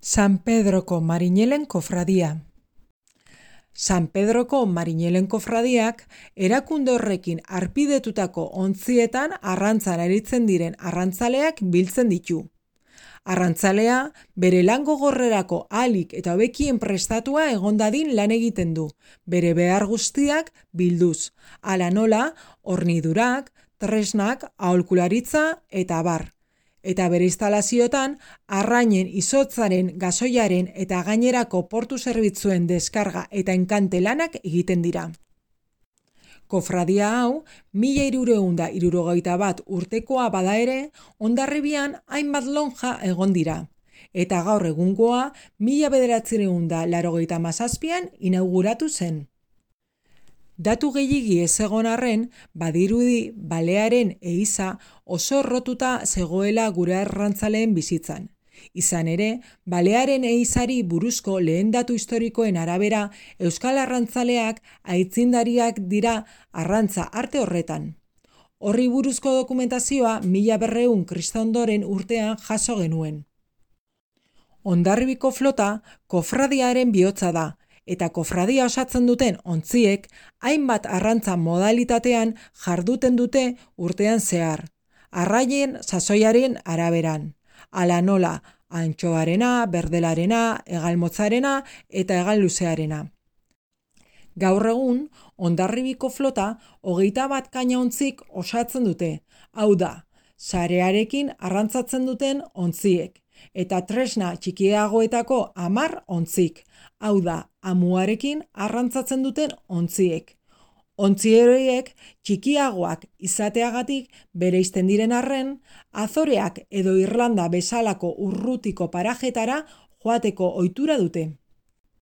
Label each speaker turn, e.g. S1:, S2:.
S1: San Pedroko Marinelen kofradia. San Pedroko Marinelen kofradiak erakunde horrekin harpidetutako ontzietan arrantzan aritzen diren arrantzaleak biltzen ditu. Arrantzalea bere lan gogorrerako ahalik eta hobekien prestatua egon dadin lan egiten du, bere behar guztiak bilduz, hala nola hornidurak, tresnak, aholkularitza eta abar. Eta bere instalazioetan arrainen izotzaren, gasoiaren eta gainerako portu zerbitzuen deskarga eta enkante lanak egiten dira. Kofradia hau 1361 urtekoa bada ere, Hondarribian hainbat lonja egon dira, eta gaur egungoa 1987an inauguratu zen. Datu gehiegi ez egon arren, badirudi balearen ehiza oso errotuta zegoela gure arrantzaleen bizitzan. Izan ere, balearen ehizari buruzko lehen datu historikoen arabera, euskal arrantzaleak aitzindariak dira arrantza arte horretan. Horri buruzko dokumentazioa 1200 kristondoren urtean jaso genuen. Hondarribiko flota kofradiaren bihotza da, eta kofradia osatzen duten ontziek hainbat arrantza modalitatean jarduten dute urtean zehar, arraien sasoiaren araberan, hala nola antxoarena, berdelarena, hegalmotzarena eta hegalluzearena. Gaur egun, Hondarribiko flota 21 kaina-ontzik osatzen dute, hau da, sarearekin arrantzatzen duten ontziek, eta tresna txikiagoetako 10 ontzik, hau da, amuarekin arrantzatzen duten ontziek. Ontzi horiek txikiagoak izateagatik bereizten diren arren, Azoreak edo Irlanda bezalako urrutiko parajetara joateko ohitura dute.